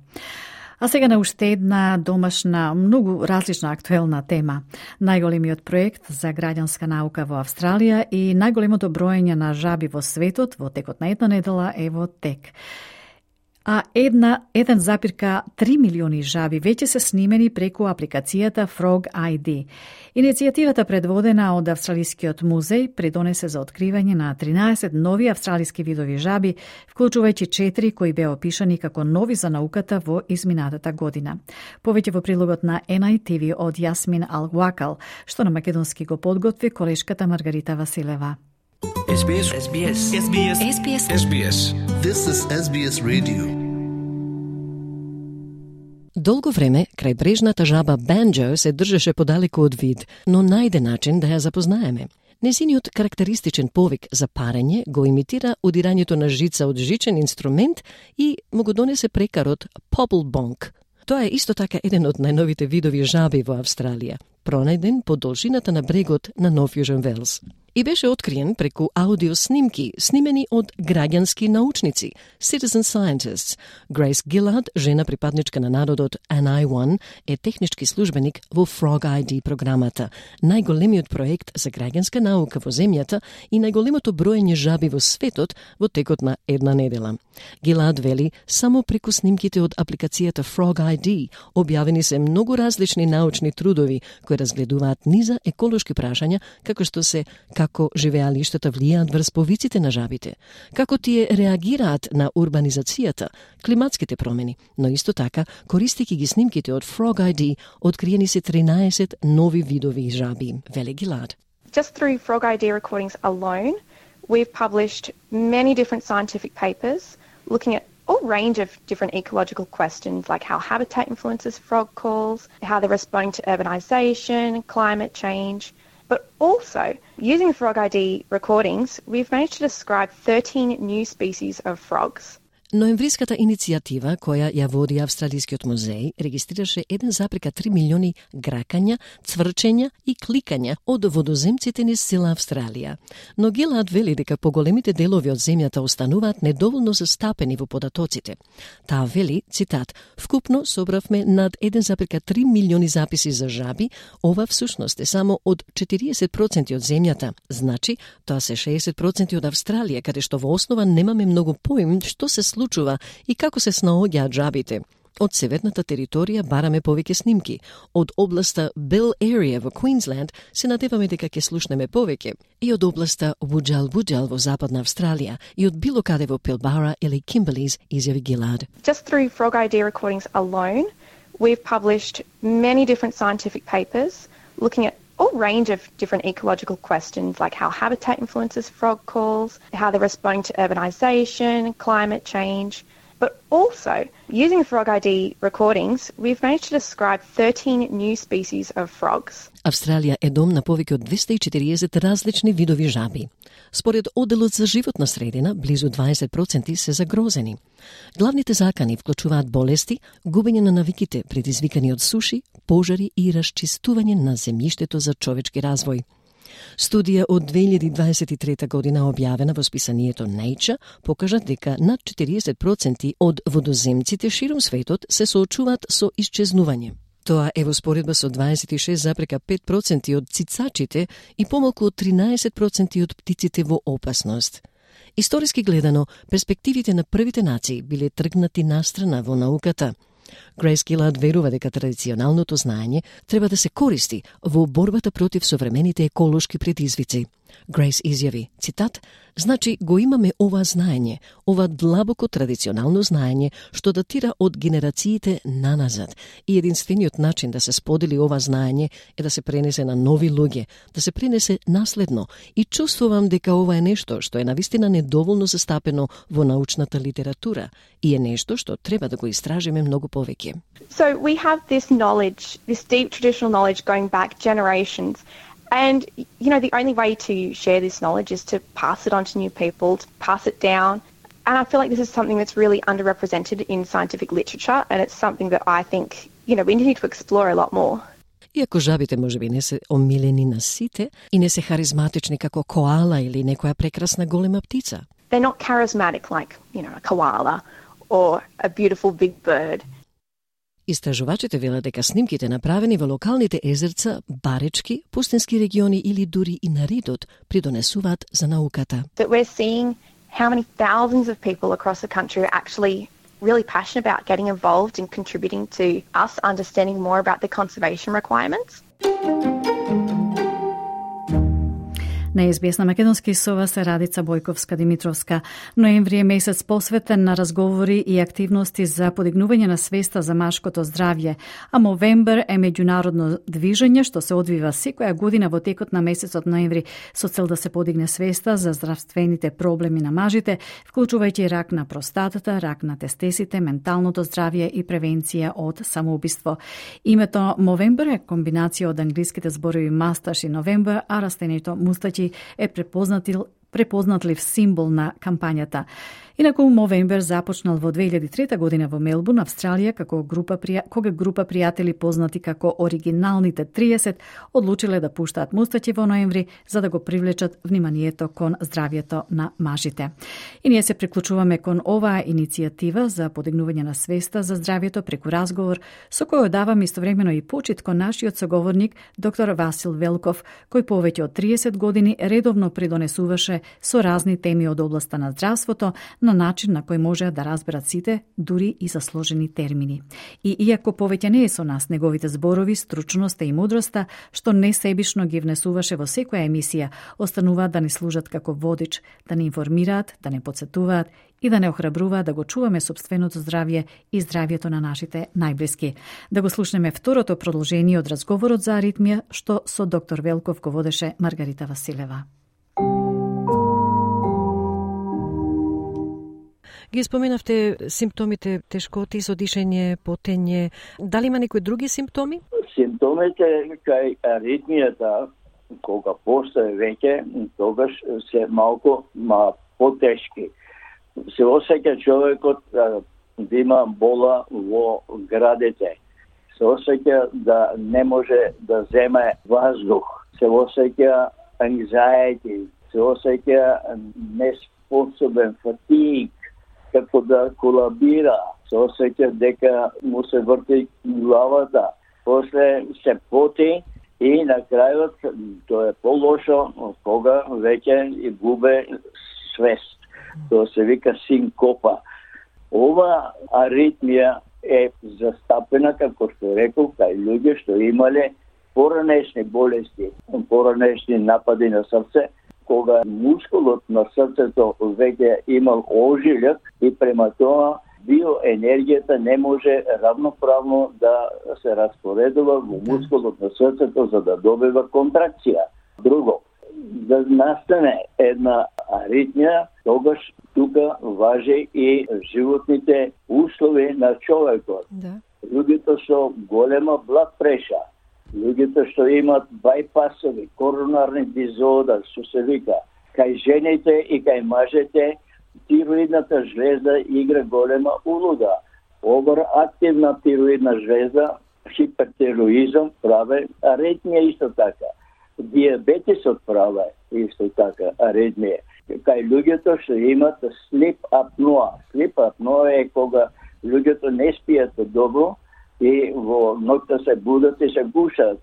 А сега на уште една домашна, многу различна актуелна тема. Најголемиот проект за граѓанска наука во Австралија и најголемото броење на жаби во светот во текот на една недела е во тек. А 1,3 милиони жаби веќе се снимени преку апликацијата Frog ID. Иницијативата предводена од Австралискиот музеј придонесе за откривање на 13 нови австралиски видови жаби, вклучувајќи 4 кои беа опишани како нови за науката во изминатата година. Повеќе во прилогот на NITV од Јасмин Алвакал, што на македонски го подготви колешката Маргарита Василева. SBS. SBS. SBS. SBS. SBS. This is SBS Radio. Долго време крајбрежната жаба банджо се држеше подалеку од вид, но најде начин да ја запознаеме. Незиниот карактеристичен повик за парење го имитира удирањето на жица од жичен инструмент и му го донесе прекарот Pobblebonk. Тоа е исто така еден од најновите видови жаби во Австралија, пронајден по должината на брегот на Нов Јужен Велс. И беше откриен преку аудиоснимки, снимени од граѓански научници, citizen scientists. Грейс Гилад, жена припадничка на народот NI1, е технички службеник во Frog ID програмата, најголемиот проект за граѓанска наука во земјата и најголемото броење жаби во светот во текот на една недела. Гилад вели, само преку снимките од апликацијата Frog ID објавени се многу различни научни трудови кои разгледуваат низа еколошки прашања, како што се како живеалиштата влијаат врз повиците на жабите, како тие реагираат на урбанизацијата, климатските промени, но исто така, користејќи ги снимките од Frog ID, откриени се 13 нови видови жаби, вели Гилад. Just through Frog ID recordings alone, we've published many different scientific papers looking at all range of different ecological questions like how habitat influences frog calls, how they're responding to urbanisation, climate change. But also, using Frog ID recordings, we've managed to describe 13 new species of frogs. Ноемвриската иницијатива, која ја води Австралискиот музеј, регистрираше 1,3 милиони гракања, цврчења и кликања од водоземците низ цела Австралија. Но Гилад вели дека поголемите делови од земјата остануваат недоволно застапени во податоците. Таа вели, цитат, вкупно собравме над 1,3 милиони записи за жаби, ова всушност е само од 40% од земјата. Значи, тоа се 60% од Австралија, каде што во основа немаме многу поим што се случува и како се снаоѓаат жабите. Од северната територија бараме повеќе снимки. Од областа Bell Area во Queensland се надеваме дека ќе слушнеме повеќе. И од областа Wudjal во западна Австралија и од било каде во Pilbara или Kimberleys, изјави Гилад. Just through Frog ID recordings alone, we've published many different scientific papers looking at all range of different ecological questions like how habitat influences frog calls, how they're responding to urbanisation, climate change. But also, using Frog ID recordings, we've managed to describe 13 new species of frogs. Австралија е дом на повеќе од 240 различни видови жаби. Според Оделот за животна средина, близу 20% се загрозени. Главните закани вклучуваат болести, губење на навиките предизвикани од суши, пожари и расчистување на земјиштето за човечки развој. Студија од 2023 година објавена во списанието Nature покажа дека над 40% од водоземците широм светот се соочуваат со исчезнување. Тоа е во споредба со 26,5% од цицачите и помалку од 13% од птиците во опасност. Историски гледано, перспективите на првите нации биле тргнати настрана во науката. Грейс Гилад верува дека традиционалното знаење треба да се користи во борбата против современите еколошки предизвици. Грейс изјави, цитат, значи го имаме ова знаење, ова длабоко традиционално знаење што датира од генерациите наназад и единствениот начин да се сподели ова знаење е да се пренесе на нови луѓе, да се пренесе наследно и чувствувам дека ова е нешто што е навистина недоволно застапено во научната литература и е нешто што треба да го истражиме многу повеќе. So we have this knowledge, this deep traditional knowledge going back generations. And, you know, the only way to share this knowledge is to pass it on to new people, to pass it down. And I feel like this is something that's really underrepresented in scientific literature, and it's something that I think, you know, we need to explore a lot more. Иако жабите можеби не се омилени на сите и не се харизматични како коала или некоја прекрасна голема птица. They're not charismatic like, you know, a koala or a beautiful big bird. Истражувачите велат дека снимките направени во локалните езерца, баречки, пустински региони или дури и на Ридот придонесуваат за науката. That we're seeing how many thousands of people across the country are actually really passionate about getting involved and contributing to us understanding more about the conservation requirements. На СБС на македонски со вас е Радица Бојковска-Димитровска. Ноември е месец посветен на разговори и активности за подигнување на свеста за машкото здравје, а Movember е меѓународно движење што се одвива секоја година во текот на месецот ноември со цел да се подигне свеста за здравствените проблеми на мажите, вклучувајќи рак на простатата, рак на тестесите, менталното здравје и превенција од самоубиство. Името Movember е комбинација од англиските зборови масташ и November, а растението мустаќи е препознатлив символ на кампањата. Инаку Movember започнал во 2003 година во Мелбурн, Австралија, кога група пријатели познати како оригиналните 30 одлучиле да пуштаат мустаќи во ноември за да го привлечат вниманието кон здравјето на мажите. И ние се приклучуваме кон оваа иницијатива за подигнување на свеста за здравјето преку разговор со кој давам истовремено и почит кон нашиот соговорник доктор Васил Велков, кој повеќе од 30 години редовно придонесуваше со разни теми од областа на здравството на начин на кој може да разберат сите, дури и за сложени термини. И иако повеќе не е со нас неговите зборови, стручноста и мудроста, што несебично ги внесуваше во секоја емисија, остануваат да ни служат како водич, да ни информираат, да не подсетуваат и да не охрабруваат да го чуваме собственото здравје и здравјето на нашите најблиски. Да го слушнеме второто продолжение од разговорот за аритмија, што со доктор Велков го водеше Маргарита Василева. Ги споменавте симптомите тешкоти со дишење, потење. Дали има некои други симптоми? Симптомите кај аритмијата, кога постае веќе, тогаш се малку потешки. Се осеќа човекот да има бола во градите. Се осеќа да не може да земе воздух. Се осеќа anxiety. Се осеќа неспособен, фатиг, како да колабира, се осеќа дека му се врти главата, после се поти и на крајот тоа е полошо кога веќе и губе свест. Тоа се вика синкопа. Ова аритмија е застапена, како што реков, кај луѓе што имале поранешни болести, поранешни напади на срце, кога мускулот на срцето веќе имал ожилјак и према тоа биоенергијата не може равноправно да се распоредува во мускулот на срцето за да добива контракција. Друго, да настане една аритмија, тогаш тука важи и животните услови на човекот. Да. Луѓето со голема блад преша, луѓето што имат байпасови, коронарни дизода, што се вика, кај жените и кај мажете, тироидната жлеза игра голема улога. Оверактивна тироидна жлеза, хипертироизам праве аритмија исто така. Диабетисот праве исто така аритмија. Кај луѓето што имат слип апноа. Слип апноа е кога луѓето не спијат добро и во ноќта се будат и се гушат,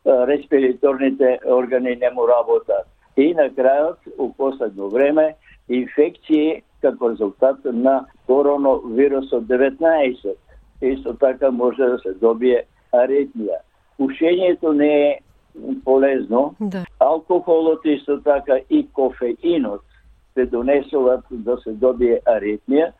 респираторните органи не му работат. И на крајот, у последно време, инфекции како резултат на коронавирусот 19. Исто така може да се добие аритмија. Пушењето не е полезно. Да. Алкохолот исто така и кофеинот се донесуваат да се добие аритмија.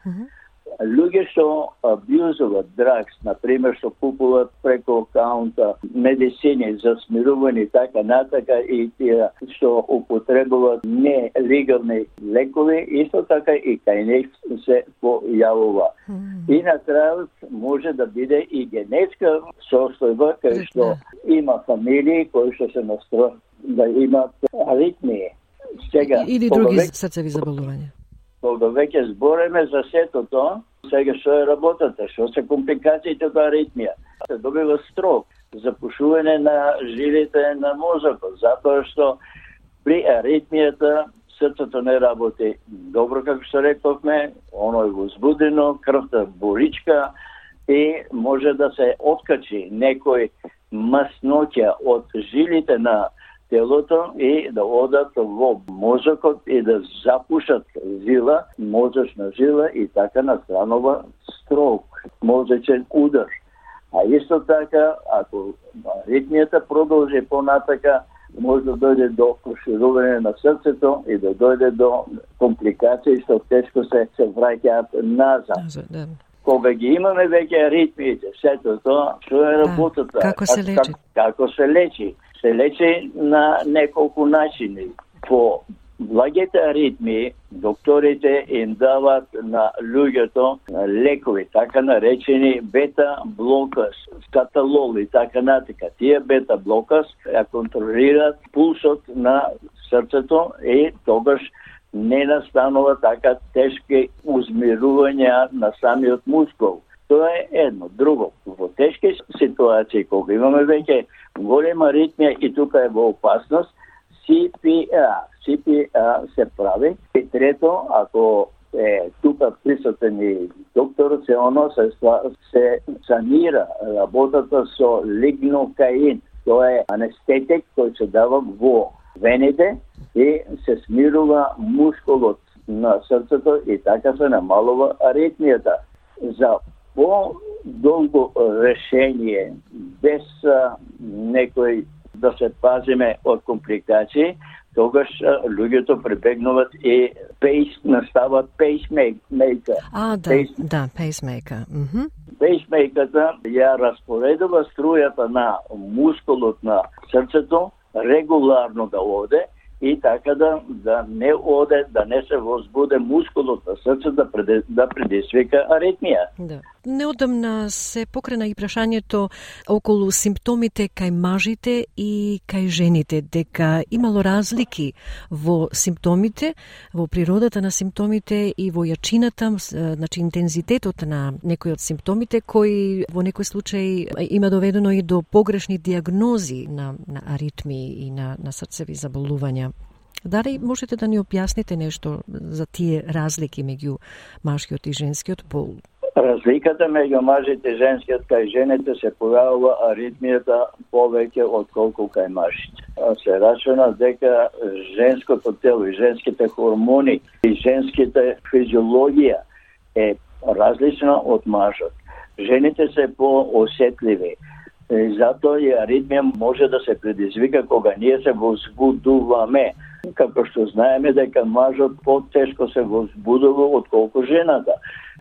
Луѓе што абјузуваат драгс, например, што купуваат преко акаунта медицини за смирување и така натака, и тие што употребуваат нелегални лекови, исто така и кај них се појавува. И на крајот може да биде и генетска состојба, кај што има фамилии кои што се настројат да имат аритмии. Сега, или други срцеви заболувања. Кога веќе збореме за сето тоа, сега што е работата, што се компликациите од аритмија. Се добива строк, запушување на жилите на мозокот, затоа што при аритмијата срцето не работи добро, како што рековме, оно е возбудено, крвта боричка и може да се откачи некој масноќа од жилите на телото и да одат во мозокот и да запушат жила, мозочна жила и така настанува строк, мозочен удар. А исто така, ако аритмијата продолжи понатака, може да дојде до проширување на срцето и да дојде до компликации што тешко се враќаат назад. Кога ги имаме веќе аритмиите, сето тоа, што е работата? Како се лечи? Како се лечи? Се лечи на неколку начини. По благите аритмии, докторите им дават на луѓето лекови, така наречени бета-блокас, скаталол и така натака. Тие бета-блокас ја контролираат пулсот на срцето и тогаш не настанува така тешки узмирувања на самиот мускул. Тоа е едно. Друго, во тешки ситуации, кога имаме веќе голема аритмија и тука е во опасност, CPR се прави. И трето, ако е тука присутен и докторот, се оно се санира работата со лигнокаин. Тоа е анестетик кој се дава во вените и се смирува мускулот на срцето и така се намалува аритмијата. За по-долго решение, без некој да се пазиме од компликации, тогаш луѓето прибегнуваат и настават пейсмейкер. Пейсмейкер. Пейсмейкерта ја распоредува струјата на мускулот на срцето регуларно да оде и така да не оде, да не се возбуде мускулот на срцето да предизвика аритмија. Да. Неодамна се покрена и прашањето околу симптомите кај мажите и кај жените, дека имало разлики во симптомите, во природата на симптомите и во јачината, значи интензитетот на некои од симптомите, кои во некој случај има доведено и до погрешни диагнози на аритмии и на срцеви заболувања. Дали можете да ни објасните нешто за тие разлики меѓу машкиот и женскиот пол? Разликата меѓу мажите и женскиот, кај жените се појавува аритмијата повеќе од колку кај мажите. Се рачуна дека женското тело и женските хормони и женските физиологија е различна од мажот. Жените се поосетливи. Затоа и аритмија може да се предизвика кога ние се возбудуваме. Како што знаеме дека мажот потешко се возбудува отколку жената.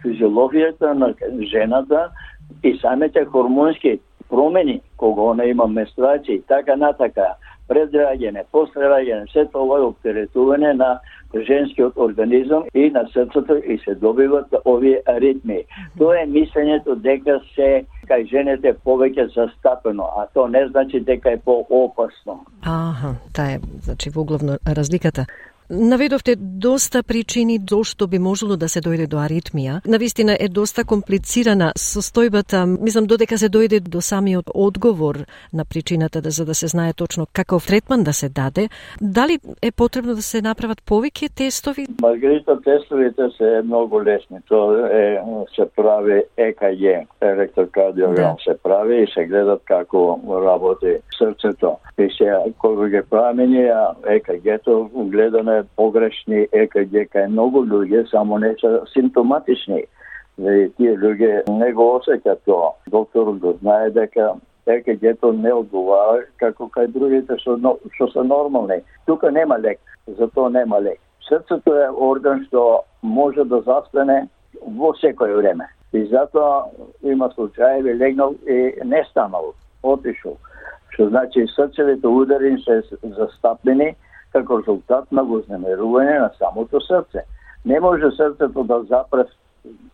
Физиологијата на жената и самите хормонски промени, кога она има менструација и така натака, пред раѓање, после раѓање, се тоа е оптеретување на женскиот организам и на срцето и се добиват овие аритми. Тоа е мислењето дека се кај жените повеќе застапено, а тоа не значи дека е поопасно. Таа е, значи, воглавно разликата. Наведовте доста причини зошто би можело да се дојде до аритмија. Навистина е доста комплицирана состојбата. Мислам, додека се дојде до самиот одговор на причината, за да се знае точно каков третман да се даде, дали е потребно да се направат повеќе тестови? Маргарита, тестовите се многу лесни. Тоа се прави ЕКГ, електрокардиограм се прави и се гледат како работи срцето. И се, кога ги правиме ние ЕКГ-то, гледаме погрешни ЕКГ кај многу луѓе, само не се симптоматични. И тие луѓе не го осеќаат тоа. Докторот го знае дека ЕКГ-то не одговара како кај другите што се нормални. Тука нема лек, затоа нема лек. Срцето е орган што може да застане во секој време. И затоа има случаи легнал и не станал, отишол. Што значи срцевите удари се застапени како резултат на вознемерување на самото срце. Не може срцето да запре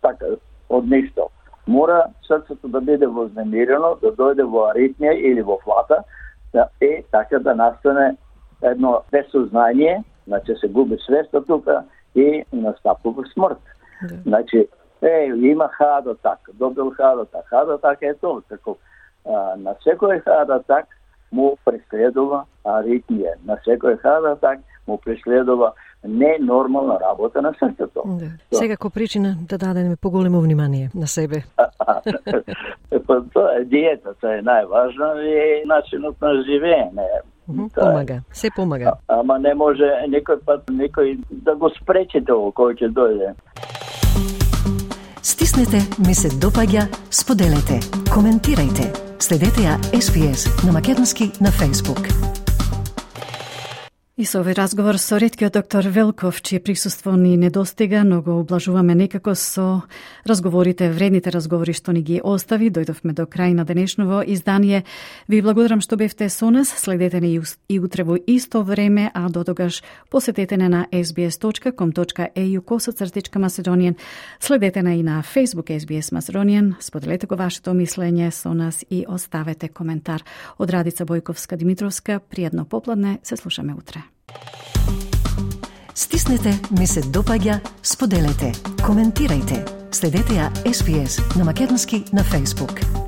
така од ништо. Мора срцето да биде вознемирено, да дојде во аритмија или во флата и така да настане едно безсознание, значи се губи свеста тука и настапува смрт. Значи, има heart attack, добил heart attack. Heart attack е тоа, како на секој heart attack му преследува аритмија. На секој heart attack му преследува ненормална работа на срцето. Секако причина да дадеме поголемо внимание на себе. Тоа е диетата, е најважна и начинот на живење. Помага, се помага. Ама не може некој пат некој да го спречи тоа кој ќе дојде. Стиснете, ми се допаѓа, споделете, коментирајте. Следете ја SBS на македонски на Facebook. И со овој разговор со реткиот доктор Велков, чие присуство ни недостига, но го облажуваме некако со разговорите, вредните разговори што ни ги остави. Дојдовме до крај на денешново издание. Ви благодарам што бевте со нас. Следете ни и утре во исто време, а до тогаш посетете на sbs.com.au/Macedonian. Следете на и на Facebook SBS Macedonian. Споделете го вашето мислење со нас и оставете коментар. Од Радица Бојковска-Димитровска, пријатно попладне, се слушаме утре. Стиснете, ми се допаѓа, споделете, коментирајте. Следете ја SBS на македонски на Facebook.